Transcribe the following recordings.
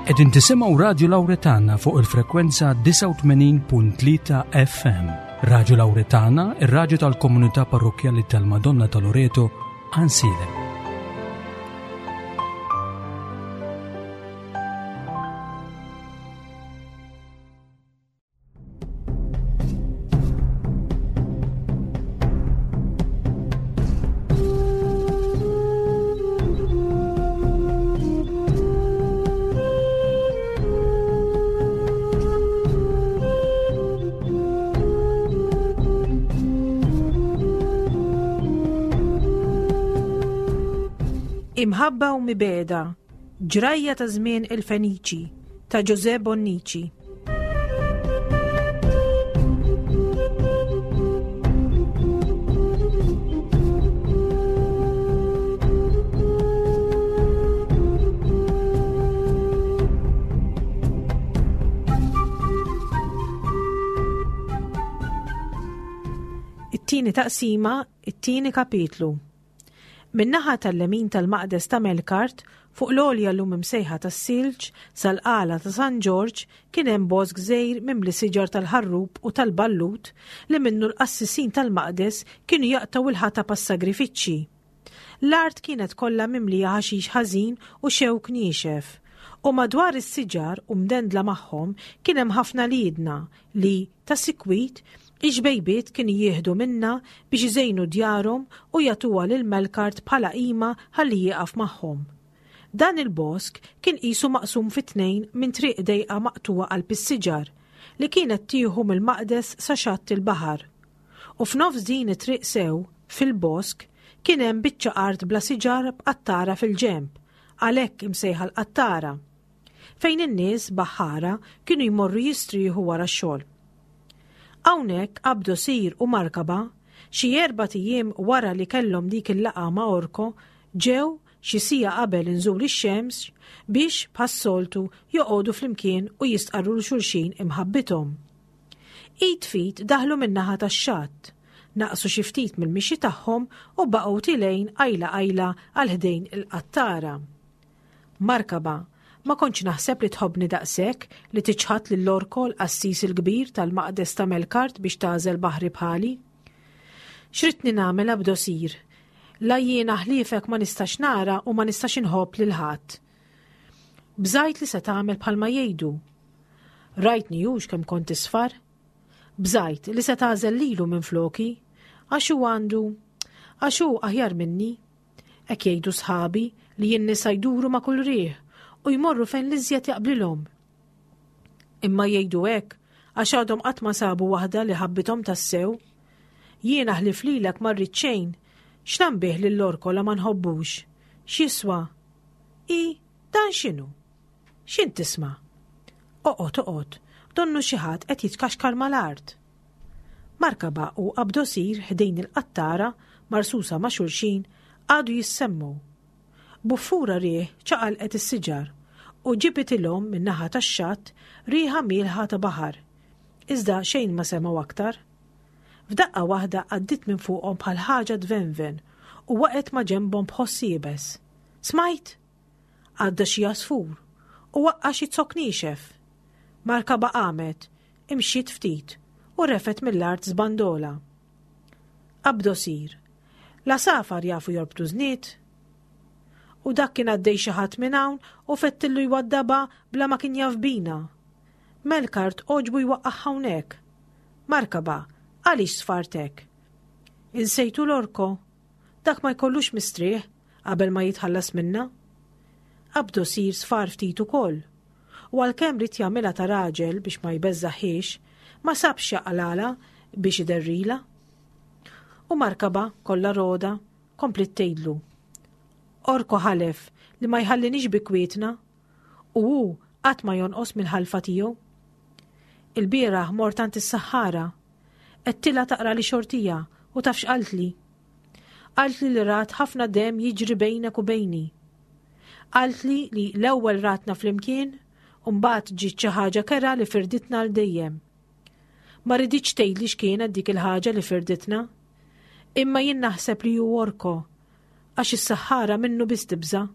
Qegħdin tisimgħu Radju Lawretana fuq il-frekwenza 89.3 FM. Radju Lawretana, ir-radju tal-komunità parrokkjali tal-Madonna ta' Loreto, Ansilem. Imħabba u mibeda, ġrajja ta' żmien il-Feniċi, ta' Ġuże Bonnici. It-tieni taqsima, it-tieni kapitlu. Min-naħa tal-lemin tal-maqdes ta' Melkart, fuq l-għolja llum imsejħa tas-Silġ, sal-qala ta' San Ġorġ, kien hemm bosk żgħir mimli siġar tal-ħarrub u tal-ballut li minnu l-qassisin tal-maqdes kienu jaqtgħu l-ħatab għas-sagrifiċċji. L-art kienet kollha mimlija ħaxix ħażin u xewk niexef, u madwar is-siġar u mdendla magħhom kien hemm ħafna liedna li, Ta' sikwit, ix-xbejbiet kienu jieħdu minnha biex iżejnu djarhom u jagħtuha lil Melkart bħala qima ħalli jieqaf magħhom. Dan il-bosk kien qisu maqsum fi tnejn minn triq dejqa maqtugħa qalb is-siġar, li kienet tieħu mill-maqdes sa xatt il-baħar. U f'nofs din it-triq sew, fil-bosk, kien hemm biċċa art bla siġar b'qattara fil-ġenb, għalhekk imsejħa l-qattara. fejn in-nies baħħara kienu jmorru jistrieħu wara x-xogħol. Hawnhekk Abdosir u Markaba, xi erbat ijiem wara li kellhom dik il-laqgħa ma' Orko, ġew xi siegħa qabel inżul ix-xemx biex, bħas-soltu, joqogħdu flimkien u jistqarru 'l xulxin imħabbithom. Id f'id daħlu min-naħa tax-xatt, naqsu xi ftit mill-mixi tagħhom u baqgħu tilgħin qajla qajla għal ħdejn il-qattara. Markaba, ma kontx naħseb li tħobbni daqshekk li tiċħad lil Orko l-qassis il-kbir tal-maqdes ta' Melkart biex tagħżel baħri bħali. X'ridtni nagħmel Abdosir? La jiena ħliefek ma nistax nara u ma nistax inħobb lil ħadd. Bżajt li se tagħmel bħalma jgħidu. Rajtni hux kemm kont isfar? Bżajt li se tagħżel lilu minfloki, għax hu għandu għax hu aħjar minni. Hekk jgħidu sħabi li n-nisa jduru ma' kull riħ u jmorru fejn l-iżjed jaqblilhom. Imma jgħidu hekk għax għadhom qatt ma sabu waħda li ħabbithom tassew. Jiena ħlief lilek ma rrid xejn, x'nambih lil Orkola ma nħobbux? X'jiswa? I, dan x'inhu? X'int tisma'? Oqgħod, oqgħod, donnu xi ħadd qed jitkaxkar mal-art. Markaba u Abdosir ħdejn il-qattara, marsusa ma' xulxin, qagħdu jissemmgħu. Buffura riħ ċaqalqet is-siġar u ġibitilhom min-naħa tax-xatt riħa mielħa ta' baħar. Iżda xejn ma semgħu aktar. F'daqqa waħda għaddiet minn fuqhom bħal ħaġa tvenven u waqgħet ma' ġenbhom b'ħoss iebes. Smajt? Għadda xi għasfur u waqqa' xi zokk niexef. Markaba qamet, imxiet ftit u refgħet mill-art żbandola. Abdosir, L-għasafar jafu jorbtu żnied? U dak kien għaddej xi ħadd minn hawn u fettillu jwaddabha bla ma kien jaf bina. Melkart għoġbu jwaqqagħha hawnhekk. Markaba, għaliex sfart hekk? Insejtu l-Orko? Dak ma jkollux mistrieħ qabel ma jitħallas minna. Abdosir sfar ftit ukoll. U għalkemm ried jagħmilha ta' raġel biex ma jbeżżagħhiex, ma sabx x'jaqlagħlha biex iderrilha. U Markaba, kollha rogħda, kompliet tgħidlu, Orko ħalef li ma jħallinix bi kwietna, u hu qatt ma jonqos mill-ħalfa tiegħu. Ilbieraħ mort għand is-saħħara. Għedtilha taqrali xortija u taf x'qaltli? Qaltli li rat ħafna demm jiġri bejnek u bejni. Qaltli li l-ewwel ratna flimkien u mbagħad ġiet xi ħaġa kerha li firditna għal dejjem. Ma riditx tgħidli x'kienet dik il-ħaġa li firditna. Imma jien naħseb li hu Orko, għax is-saħħara minnu biss tibża'.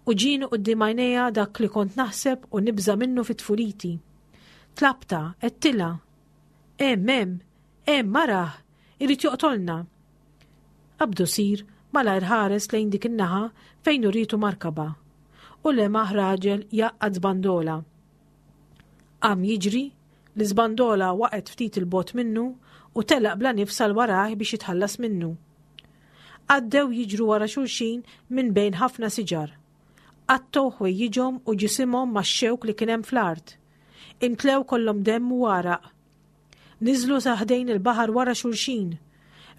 U ġieni quddiem għajnejja dak li kont naħseb u nibża' minnu fi tfuliti. Tlabtha, għedtilha. Hemm, hemm, hemm, arah, irid joqtolna. Abdosir malajr ħares lejn dik in-naħa fejn urietu Markaba u lemaħ raġel jgħaqqad żbandola. Qam jiġri, l-iżbandola waqgħet ftit 'il bogħod minnu u telaq bla nifs għal warajh biex jitħallas minnu. Għaddew jiġru wara xulxin minn bejn ħafna siġar. Qattgħu ħwejjiġhom u ġisimhom max-xewk li kien hemm fl-art. Imtlew kollhom demm u għaraq. Niżlu sa ħdejn il-baħar wara xulxin.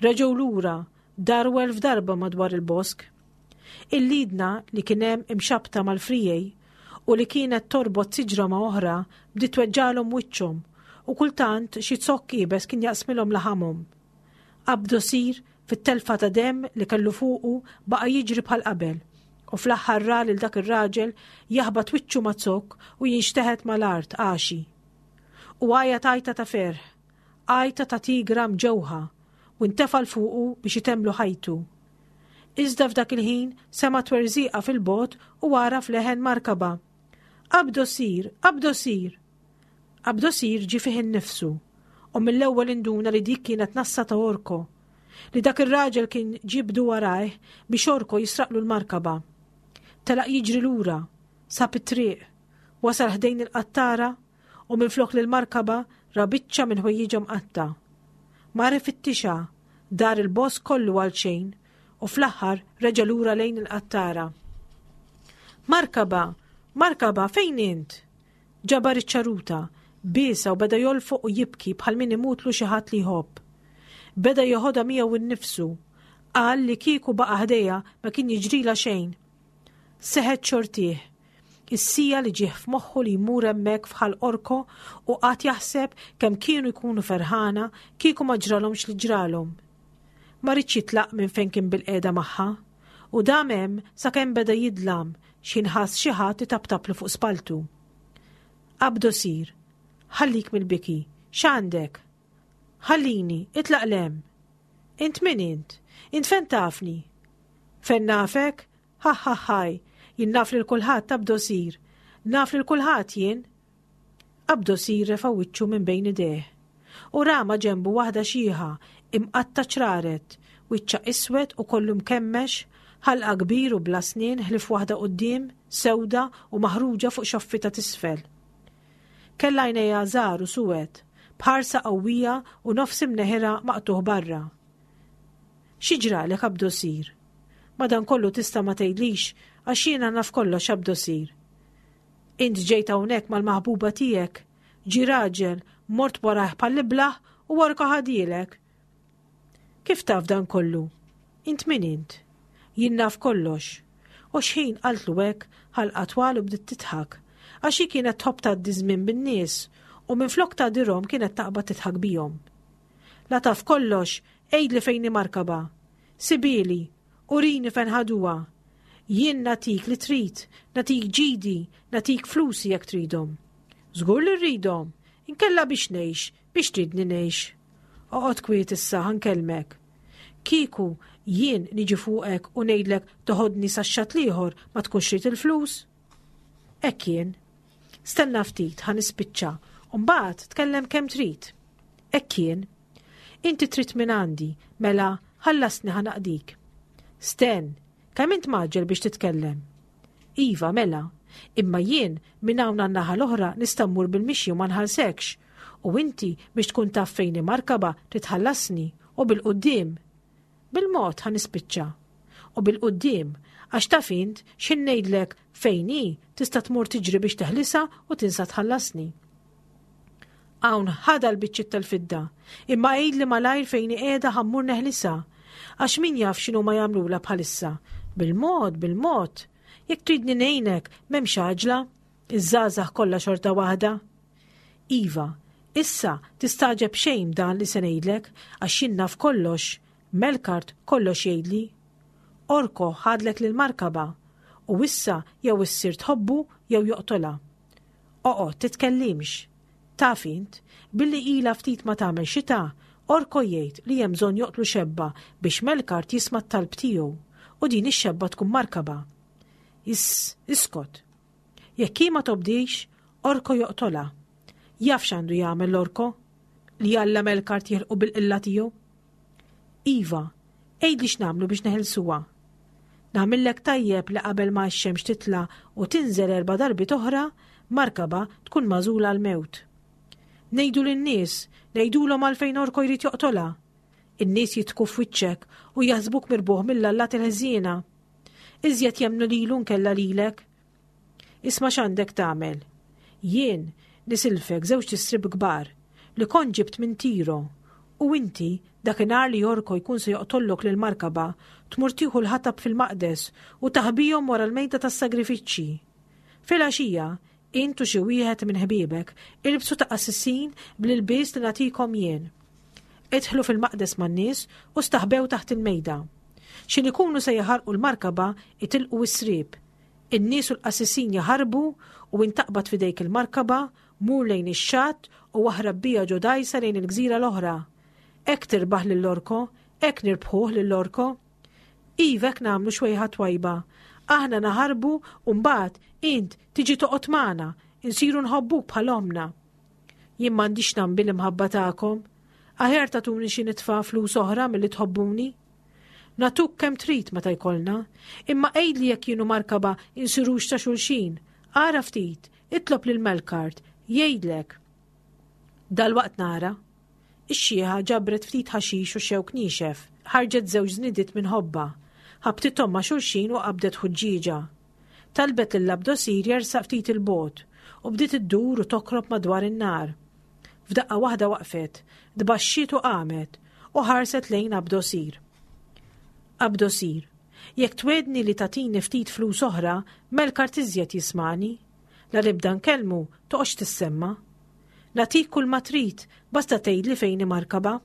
Reġgħu lura, daru f'darba madwar il-bosk. Il-liedna li kien hemm imxabbta mal-friegħi u li kienet torbot siġra ma' oħra bdiet tweġġagħlhom wiċċhom u kultant xi zokk iebes kien jaqsmilhom laħamhom. Abdosir, fit-telfa ta' demm li kellu fuqu, baqa' jiġri bħal qabel u fl-aħħar ra lil dak ir-raġel jaħbat wiċċu ma' zokk u jinxteħet mal-art għaxi. U għajat għajta ta' ferħ, għajta ta' tigra mġewħa u ntefa' 'l fuqu biex itemmlu ħajtu. Iżda f'dak il-ħin sema' twerżiqa fil-bogħod u għaraf leħen Markaba. Abdosir! Abdosir! Abdosir ġie fih innifsu u mill-ewwel induna li dik kienet nassa ta' Orko, li dak ir-raġel kien ġibdu warajh biex Orko jisraqlu l-markaba. Telaq jiġri lura, sab it-triq, wasal ħdejn il-qattara u minflok lill-markaba ra biċċa minn ħwejjiġha mqatta'. Mar ifittixha, dar il-bosk kollu għalxejn u fl-aħħar reġa' lura lejn il-qattara. Markaba! Markaba, fejn int? Ġabar iċ-ċaruta, biesha u beda jolfoq u jibki bħal min imutlu xi ħadd li jħobb. Beda jeħodha miegħu nnifsu. Qal li kieku baqa' ħdejha ma kien jiġrilha xejn. Seħet xortih. Is-siegħa li ġieh f'moħħu li jmur hemmhekk f'Ħal Orko u qagħad jaħseb kemm kienu jkunu ferħana kieku ma ġralhomx li ġralhom. Ma riedx jitlaq minn fejn kien bilqiegħda magħha u dam hemm sakemm beda jidlam x'ħin ħass xi ħadd itaptaplu fuq spalltu. Abdosir, ħallik mill-biki, x'għandek? Ħallini, itlaq 'l hemm. Int min int? Int fejn tafni? Fejn nafek? Ħaħħaħħaj, jien naf lil kulħadd Abdosir. Naf lil kulħadd jien. Abdosir refa' wiċċu minn bejn idejh. U ra ma' ġenbu waħda xiħa, imqatta' ċraret, wiċċha iswed u kollu mkemmex, ħalqha kbir u bla snien ħlief waħda quddiem, sewda u maħruġa fuq xoffitha t'isfel. Kellha għajnejha żgħar u suwed, b'ħarsa qawwija u nofs imneħirha maqtugħ barra. Xi ġralek Abdosir? Madankollu tista' ma tgħidlix għax jiena naf kollox Abdosir. Int ġejt hawnhekk mal-maħbuba tiegħek, ġie raġel, mort warajh bħall-iblah u orka ħadielek. Kif taf dan kollu? Int min int? Jien naf kollox. U xħin qaltlu hekk, ħalqha twal u bdiet tidħak, għax hi kienet tħobb tgħaddi żmien bin-nies u minflok tgħadirhom kienet taqbad tidħak bihom. La taf kollox, għidli fejn hi Markaba. Sibhieli, urini fejn ħaduha. Jien nagħtik li trid, nagħtik ġidi, nagħtik flusi jekk tridhom. Żgur li rridhom, inkella biex ngħix, biex tridni ngħix. Oqgħod kwiet issa ħa nkellmek. Kieku jien niġi fuqek u ngħidlek toħodni sax-xatt l-ieħor ma tkunx trid il-flus? Hekk jien. Stenna ftit ħa nispiċċa u mbagħad tkellem kemm trid. Hekk jien. Inti trid minn għandi, mela ħallasni ħa naqdik. Sten, kemm int mgħaġġel biex titkellem? Iva, mela, imma jien minn hawn għan-naħa l-oħra nista' mmur bil-mixi u ma nħallsekx. U inti biex tkun taf fejn hi markaba trid tħallasni u bil-quddiem. Bil-mod ħa nispiċċa. U bil-quddiem, għax taf int x'ħin ngħidlek fejn hi tista' tmur tiġri biex teħlisha u tinsa tħallasni. Hawn ħadha l-biċċiet tal-fidda, imma għidli malajr fejn hi qiegħda ħa mmur neħlisha. Għax min jaf x'inhuma jagħmlulha bħalissa. Bil-mod, bil-mod. Jekk tridni ngħinek, m'hemmx għaġla. Iż-żgħażagħ kollha xorta waħda. Iva, issa tistagħġeb xejn b'dan li se ngħidlek għax jien naf kollox, Melkart kollox jgħidli. Orko ħadlek lil Markaba u issa jew issir tħobbu jew joqtolha. Oqgħod titkellimx. Taf int, billi ilha ftit ma tagħmel xita, Orko jgħid li hemm bżonn joqtlu xebba biex Melkart jisma' t-talb tiegħu u din ix-xebba tkun Markaba. Iss, iskot. Jekk hi ma tobdix, Orko joqtolha. Jaf x'għandu jagħmel l-Orko? Li Alla Melkart jilqu bil-qilla tiegħu. Iva, għidli x'nagħmlu biex neħilsuha. Nagħmillek tajjeb li qabel ma x-xemx titla' u tinżel erba' darbiet oħra, Markaba tkun magħżula għall-mewt. Ngħidu lin-nies, ngħidulhom għalfejn Orko jrid joqtolha. In-nies jidħku f'wiċċek u jaħsbuk mirbuħ mill-allat il-ħżiena. Iżjed jemmnu lilu nkella lilek. Isma' x'għandek tagħmel. Jien nisilfek żewġt istrib kbar li kont ġibt minn Tiro u inti dakinhar li Orko jkun se joqtollok lil Markaba tmur tieħu l-ħatab fil-maqdes u taħbihom wara l-mejda tas-sagrifiċċji. Filgħaxija, int u xi wieħed minn ħbiebek ilbsu ta' qassisin bl-ilbies li nagħtikom jien. Idħlu fil-maqdes man-nies u staħbew taħt il-mejda. X'in ikunu se jaħarqu l-markaba itilqu s-sriep. In-nies u l-qassisin jaħarbu u int taqbad f'idejk il-markaba, mur lejn ix-xatt u aħrab biha ġo dgħajsa lejn il-gżira l-oħra. Hekk tirbaħ lil Orko, hekk nirbħuh lil Orko. Iva hekk nagħmlu xwejħa twajba. Aħna naħarbu u mbagħad int tiġi toqgħod magħna, insiru nħobbuk bħal ommna. Jien m'għandix nambi l-imħabba tagħkom. Aħjar tagħtuni xi nitfa' flus oħra milli tħobbuni. Nagħtuk kemm trid meta jkollna, imma għidli jekk jien u Markaba insirux ta' xulxin. Ara ftit, itlob lil Melkart, jgħidlek. Dalwaqt nara. Ix-xiħa ġabret ftit ħaxix u xewk niexef, ħarġet żewġ żnidiet minn ħobbha, ħabtithom ma' xulxin u qabdet ħuġġieġa. Talbet lil Abdosir jersaq ftit 'il bogħod u bdiet iddur u tokrob madwar in-nar. F'daqqa waħda waqfet, tbaxxiet u qamet u ħarset lejn Abdosir. Abdosir, jekk twegħdni li tagħtini ftit flus oħra, Melkart iżjed jismagħni. La nibda nkellmu, toqgħodx tissemma. Nagħtik kull ma trid, basta tgħidli fejn hi Markaba.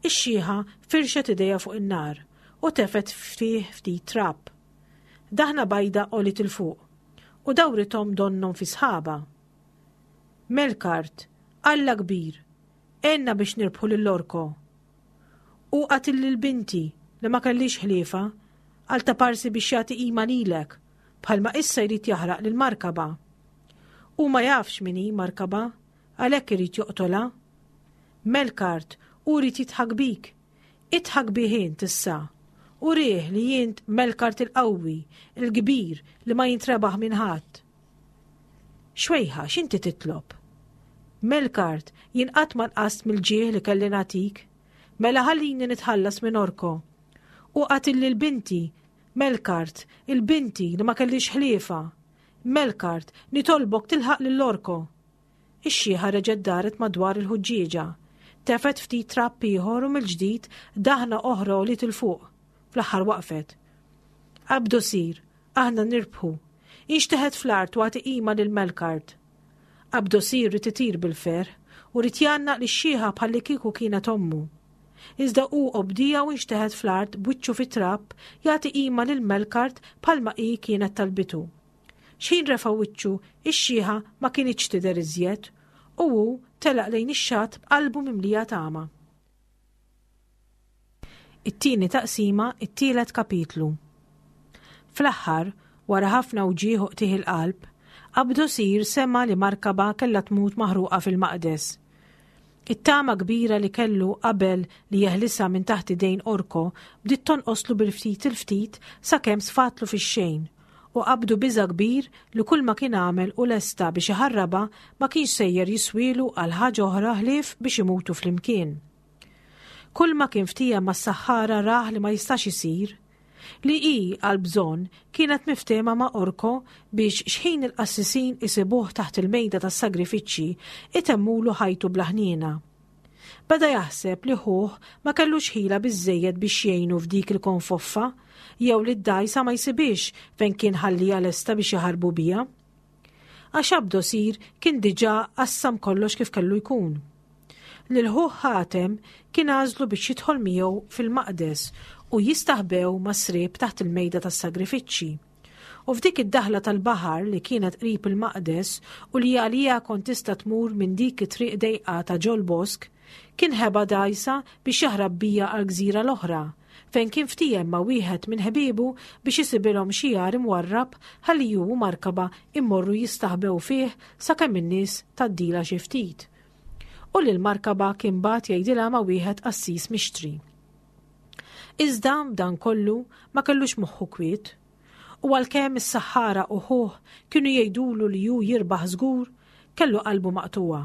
Ix-xiħa firxet idejha fuq in-nar u tefgħet fih ftit trab. Daħna bajda għoliet 'il fuq u dawrithom donnhom fi sħaba. Melkart, Alla kbir, għenna biex nirbħu lil Orko. Hu qatil lil binti li ma kellix ħliefa għal taparsi biex jagħti qima lilek, bħalma issa jrid jaħraq lil Markaba. Hu ma jafx min hi Markaba, għalhekk irid joqtolha. Melkart, hu jrid jidħak bik, Idħak bih int issa. Urih li int Melkart il-qawwi, il-kbir li ma jintrebaħ minn ħadd. Xwejħa, x'inti titlob? Melkart, jien qatt ma nqast mill-ġieħ li kelli nagħtik. Mela ħallini nitħallas minn Orko. U qatil lil binti, Melkart, il-binti li ma kellix ħliefa. Melkart, nitolbok tilħaq lil Orko. Ix-xiħa reġgħet daret madwar il-ħuġġieġa. Tefgħet ftit trab ieħor u mill-ġdid daħna oħra għoliet 'il fuq. Fl-aħħar waqfet. Abdu sir, aħna nirbħu. Inxteħet fl-art u agħti qima lil Melkart. Abdu sir ried itir bil-ferħ u ried jgħannaq lix-xiħa bħallikieku kienet ommu. Iżda hu obdieha u nxteħet fl-art b'wiċċu fit-trab jagħti qima lil Melkart bħalma hi kienet talbitu. X'ħin refa' wiċċu, ix-xiħa ma kinitx tidher iżjed, u hu telaq lejn ix-xatt b'qalbu mimlija tama. It-tieni taqsima, it-tielet kapitlu. Fl-aħħar, wara ħafna wġigħ u qtigħ il-qalb, Abdosir sema' li Markaba kellha tmut maħruqa fil-maqdes. It-tama kbira li kellu qabel li jeħlisha minn taħt idejn Orko bdiet tonqoslu bil-ftit il-ftit sakemm sfatlu fix-xejn, u qabdu biża' kbir li kulma kien għamel u lesta biex iħarrabha ma kienx sejjer jiswielu għal ħaġa oħra ħlief biex imutu flimkien. Kulma kien ftiehem mas-saħħara rah li ma jistax isir. Li hi, għall-bżonn, kienet miftehma ma' Orko biex xħin il-qassisin isibuh taħt il-mejda tas-sagrifiċċji, itemmulu ħajtu bla ħniena. Beda jaħseb li ħuh ma kellux ħila biżżejjed biex jgħinu f'dik il-konfoffa, jew li d-dgħajsa ma jsibhiex fejn kien ħalliha lesta biex jaħarbu biha. Għax Abdosir kien diġà qassam kollox kif kellu jkun. Lil ħuh Ħatem kien għażlu biex jidħol miegħu fil-maqdes u jistaħbew mas-sriep taħt il-mejda tas-sagrifiċċji. U f'dik id-daħla tal-baħar li kienet qrib il-maqdes u li għaliha kont tista' tmur minn dik it-triq dejqa ta' ġol-bosk, kien ħeba dgħajsa biex jaħrab bija għall-gżira l-oħra, fejn kien ftiehem ma' wieħed minn ħbiebu biex isibilhom xi għar imwarrab ħalli hu u Markaba immorru jistaħbew fih sakemm in-nies tgħaddilha xi ftit. U lil Markaba kien bagħat jgħidilha ma' wieħed qassis mixtri. Iżda b'dan kollu ma kellux moħħu kwiet. U għalkemm is-saħħara u ħuh kienu jgħidulu li hu jirbaħ żgur, kellu qalbu maqtugħa.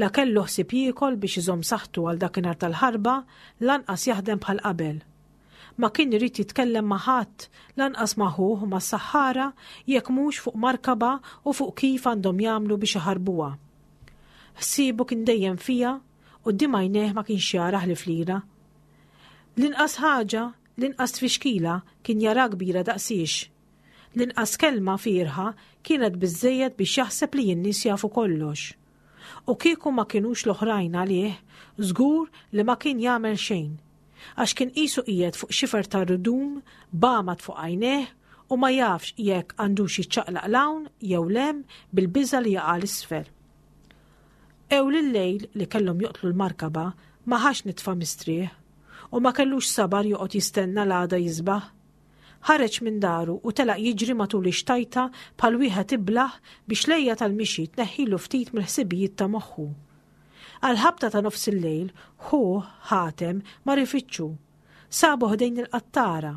La kellu ħsieb jiekol biex iżomm saħħtu għal dakinhar tal-ħarba, lanqas jaħdem bħal qabel. Ma kien irid jitkellem ma' ħadd, lanqas ma' ħuh u mas-saħħara, jekk mhux fuq Markaba u fuq kif għandhom jagħmlu biex iħarbuha. Ħsiebu kien dejjem fiha, quddiem għajnejh ma kienx jara ħlief lilha. L-inqas ħaġa, l-inqas tfixkila kien jaraha kbira daqsiex. L-inqas kelma fierħa kienet biżżejjed biex jaħseb li n-nies jafu kollox. U kieku ma kinux l-oħrajn għalih, żgur li ma kien jagħmel xejn. Għax kien qisu qiegħed fuq xifer ta' rdum b'għamad fuq għajnejh u ma jafx jekk għandux jiċċaqlaq 'l hawn jew 'l hemm bil-biża' li jaqa' 'l isfel. Ewl il-lejl li kellhom joqtlu l-markaba ma ħax nitfa' mistrieħ u ma kellux sabar joqgħod jistenna l-għada jisbaħ. Ħareġ minn daru u telaq jiġri matul ix-xtajta bħal wieħed iblah biex l-għejja tal-mixi tneħħilu ftit mill-ħsibijiet ta' moħħu. Għall-ħabta ta' nofsillejl, ħuh, Ħatem, mar ifittxu. Sabu ħdejn il-qattara,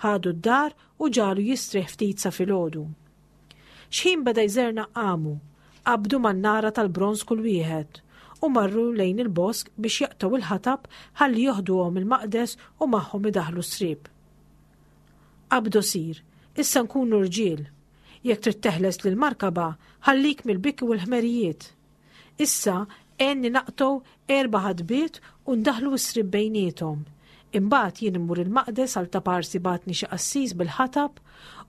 ħadu d-dar u ġagħlu jistrieħ ftit sa filgħodu. Xħin beda jżernaq qamu, qabdu man-nara tal-bronż kull wieħed, u marru lejn il-bosk biex jaqtgħu il-ħatab ħalli joħduhom il-maqdes u magħhom idaħħlu s-sriep. Abdosir, issa nkunu rġiel. Jekk trid teħles lil Markaba, ħallik mill-biki u l-ħmerijiet. Issa għenni naqtgħu erba' ħadbiet u ndaħħlu s-sriep bejniethom. Imbagħad jien immur il-maqdes għal taparsi bagħatni xi qassis bil-ħatab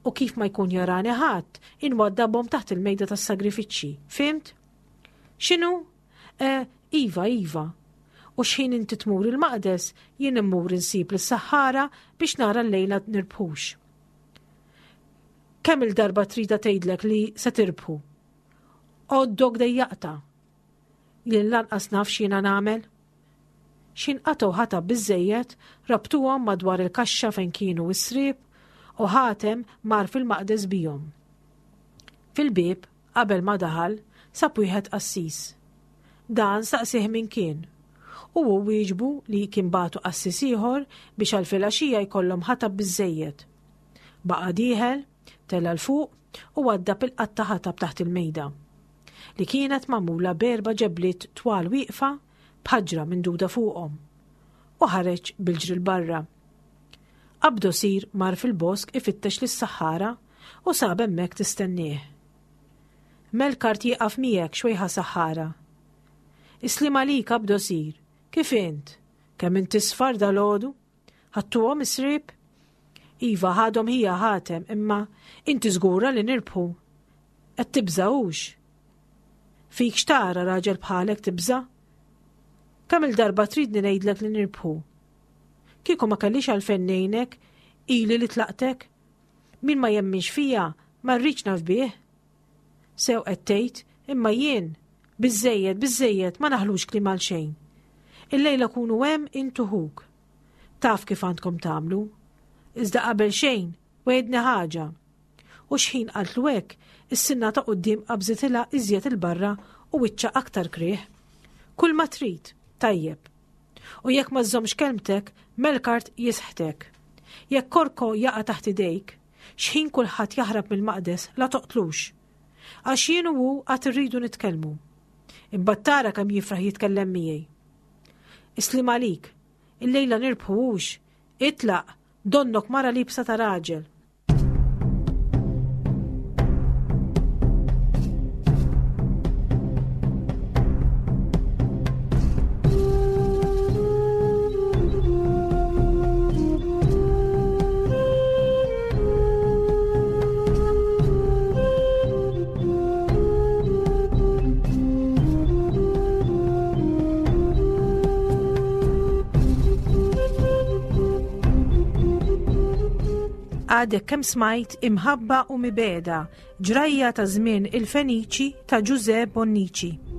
u kif ma jkun jarani ħadd, inwaddabhom taħt il-mejda tas-sagrifiċċji. Fhimt? X'inhu? Eh, iva, iva. U x'ħin inti tmur il-maqdes, jien immur insib lis-saħħara biex nara llejla nirbħux. Kemm il-darba trida tgħidlek li se tirbħu? Għoddok dejjaqta. Jien lanqas naf x'jiena nagħmel. X'ħin qatgħu ħatab biżżejjed, rabtuhom madwar il-kaxxa fejn kienu s-sriep u Ħatem mar fil-maqdes bihom. Fil-bieb, qabel ma daħal, sab wieħed qassis. Dan saqsieh min kien, u hu wieġbu li kien bagħtu qassis ieħor biex għal filgħaxija jkollhom ħatab biżżejjed. Baqa' dieħel, tela' 'l fuq u waddab il-qatta ħatab taħt il-mejda, li kienet magħmula b'erba' ġebliet twal wieqfa b'ħaġra minduda fuqhom, u ħareġ bil-ġri 'l barra. Abdosir mar fil-bosk ifittex lis-saħħara u sab hemmhekk tistennieh. Melkart jieqaf miegħek xwejħa saħħara. Is-sliem għalik Abdosir, kif int? Kemm int isfar dalgħodu? Ħadtuhom is-sriep? Iva ħadhom ħija Ħatem imma inti żgura li nirbħu. Qed tibża' hux? Fik x'tara raġel bħalek tibża'? Kemm-il darba tridni ngħidlek li nirbħu? Kieku ma kellix għalfejn ngħinek, ili li tlaqtek. Min ma jemminx fija, ma rridx naf bih. Sew qed tgħid, imma jien, biżżejjed, biżżejjed, ma naħlux kliem għal xejn. Illejla kunu hemm int u ħuk. Taf kif għandkom tagħmlu. Iżda qabel xejn, wegħidni ħaġa. U xħin qaltlu hekk, is-sinna ta' quddiem qabżitilha iżjed 'il barra u wiċċha aktar krih. Kull ma trid, tajjeb. U jekk ma żżommx kelmtek, Melkart jisħtek. Jekk Korko jaqa' taħt idejk, xħin kulħadd jaħrab mill-maqdes la toqtlux. Għax jien u hu għad irridu nitkellmu. Imbagħad tara kemm jifraħ jitkellem miegħi. Is-sliem għalik, illejla nirbħu hux, itlaq, donnok mara liebsa ta' raġel. Għadek kemm smajt Imħabba u Mibegħda, ġrajja ta' żmien il-Feniċi ta' Ġużè Bonnici.